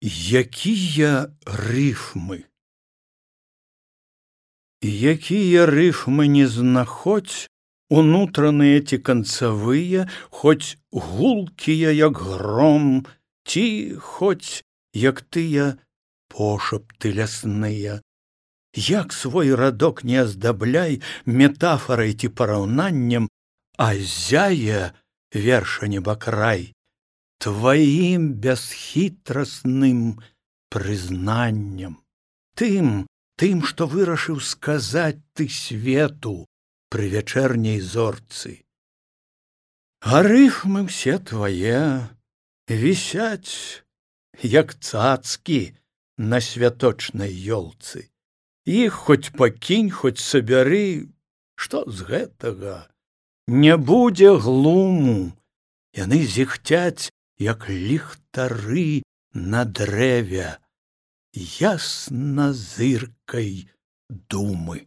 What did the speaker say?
Якія рыфмы? Якія рыфмы не знаходзь, унутраныя ці канцавыя, хоць гулкія, як гром, ці хоць, як тыя пошапты лясныя. Як свой радок не аздабляй метафарай ці параўнаннем, а зяе верша небакрай тваім бясхітрасным прызнаннем. Тым, што вырашыў сказаць ты свету пры вячэрняй зорцы. А рыфмы ўсе твае вісяць, як цацкі на святочнай ёлцы. Іх хоць пакінь, хоць сабяры, што з гэтага? Не будзе глуму, яны зіхцяць, як ліхтары на дрэве, ясна зыркай думы.